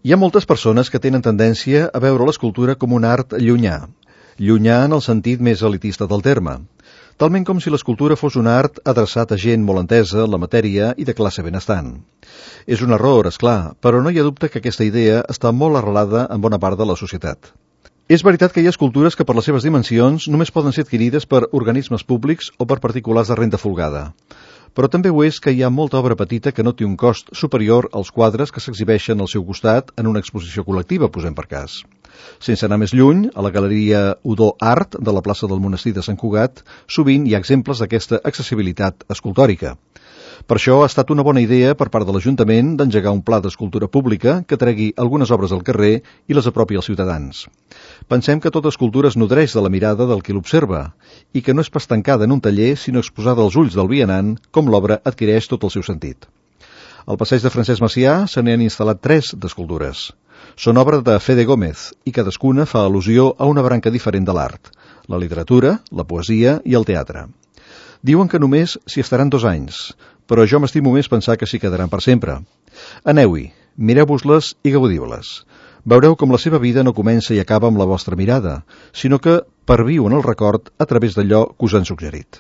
Hi ha moltes persones que tenen tendència a veure l'escultura com un art llunyà en el sentit més elitista del terme, talment com si l'escultura fos un art adreçat a gent molt entesa en la matèria i de classe benestant. És un error, és clar, però no hi ha dubte que aquesta idea està molt arrelada en bona part de la societat. És veritat que hi ha escultures que per les seves dimensions només poden ser adquirides per organismes públics o per particulars de renda folgada. Però també ho és que hi ha molta obra petita que no té un cost superior als quadres que s'exhibeixen al seu costat en una exposició col·lectiva, posem per cas. Sense anar més lluny, a la Galeria Udó Art de la plaça del Monestir de Sant Cugat, sovint hi ha exemples d'aquesta accessibilitat escultòrica. Per això ha estat una bona idea per part de l'Ajuntament d'engegar un pla d'escultura pública que tregui algunes obres al carrer i les apropi als ciutadans. Pensem que tota escultura es nodreix de la mirada del qui l'observa i que no és pas tancada en un taller, sinó exposada als ulls del vianant, com l'obra adquireix tot el seu sentit. Al passeig de Francesc Macià se n'hi han instal·lat 3 d'escultures. Són obra de Fede Gómez i cadascuna fa al·lusió a una branca diferent de l'art, la literatura, la poesia i el teatre. Diuen que només s'hi estaran 2 anys, però jo m'estimo més pensar que s'hi quedaran per sempre. Aneu-hi, mireu-vos-les i gaudiu-les. Veureu com la seva vida no comença i acaba amb la vostra mirada, sinó que perviu en el record a través d'allò que us han suggerit.